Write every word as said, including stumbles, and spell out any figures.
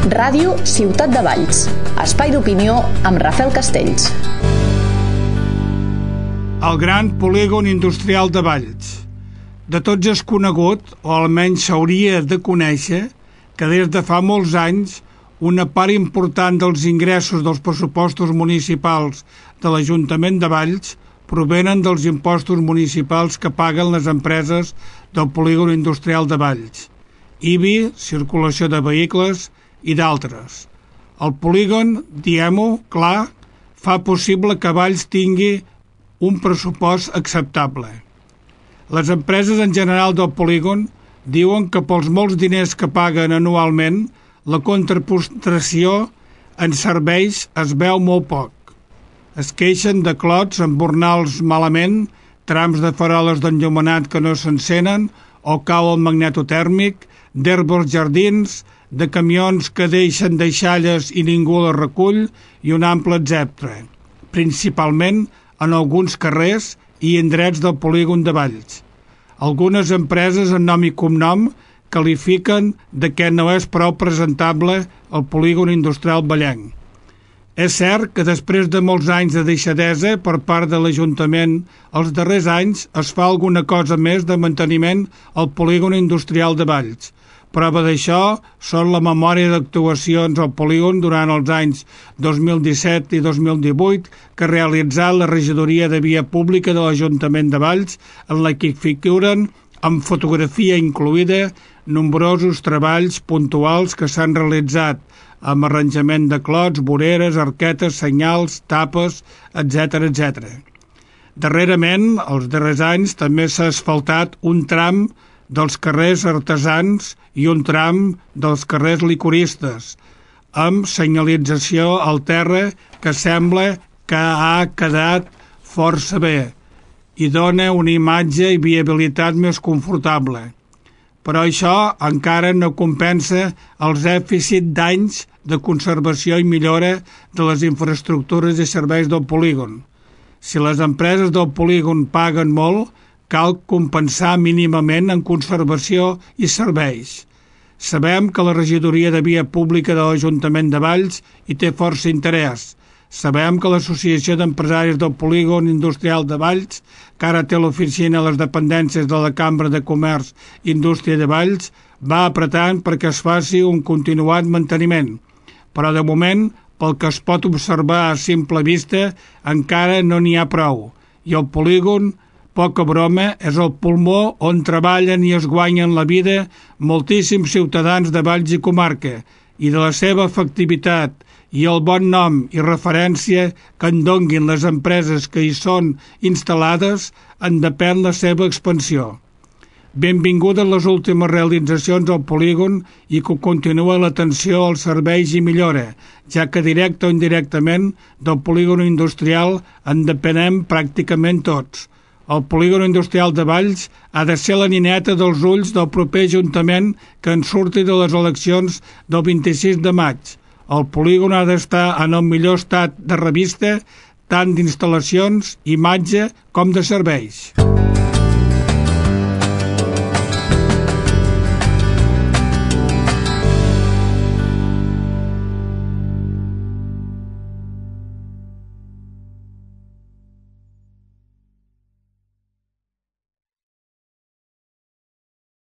Ràdio Ciutat de Valls. Espai d'opinió amb Rafael Castells. El gran polígon industrial de Valls. De tots és conegut, o almenys s'hauria de conèixer, que des de fa molts anys una part important dels ingressos dels pressupostos municipals de l'Ajuntament de Valls provenen dels impostos municipals que paguen les empreses del polígon industrial de Valls, I B I, circulació de vehicles i d'altres. El polígon, diguem-ho clar, fa possible que Valls tingui un pressupost acceptable. Les empreses en general del polígon diuen que pels molts diners que paguen anualment, la contraprestació en serveis es veu molt poc. Es queixen de clots embornals malament, trams de faroles d'enllumenat que no s'encenen o cau el magnetotèrmic, d'herbes jardins, de camions que deixen deixalles i ningú les recull i un ample etcètera. Principalment en alguns carrers i indrets del polígon de Valls. Algunes empreses en nom i cognom qualifiquen de que no és prou presentable el polígon industrial vallenc. És cert que després de molts anys de deixadesa per part de l'Ajuntament, els darrers anys es fa alguna cosa més de manteniment al polígon industrial de Valls. Prova d'això són la memòria d'actuacions al polígon durant els anys dos mil disset i dos mil divuit que ha realitzat la regidoria de Via Pública de l'Ajuntament de Valls, en la que figuren, amb fotografia incloïda, nombrosos treballs puntuals que s'han realitzat amb arranjament de clots, voreres, arquetes, senyals, tapes, etcètera, etcètera. Darrerament, els darrers anys, també s'ha asfaltat un tram dels carrers artesans i un tram dels carrers licoristes, amb senyalització al terra que sembla que ha quedat força bé i dona una imatge i viabilitat més confortable. Però això encara no compensa els dèficits d'anys de conservació i millora de les infraestructures i serveis del polígon. Si les empreses del polígon paguen molt, cal compensar mínimament en conservació i serveis. Sabem que la regidoria de Via Pública de l'Ajuntament de Valls hi té força interès. Sabem que l'Associació d'Empresaris del Polígon Industrial de Valls, que ara té l'oficina a les dependències de la Cambra de Comerç i Indústria de Valls, va apretant perquè es faci un continuat manteniment. Però de moment, pel que es pot observar a simple vista, encara no n'hi ha prou. I el polígon, poca broma, és el pulmó on treballen i es guanyen la vida moltíssims ciutadans de Valls i comarca, i de la seva efectivitat i el bon nom i referència que en donguin les empreses que hi són instal·lades en depèn la seva expansió. Benvingudes les últimes realitzacions al polígon i que continua l'atenció als serveis i millora, ja que directe o indirectament del polígon industrial en depenem pràcticament tots. El polígon industrial de Valls ha de ser la nineta dels ulls del proper Ajuntament que en surti de les eleccions del vint-i-sis de maig. El polígon ha d'estar en el millor estat de revista, tant d'instal·lacions, imatge com de serveis.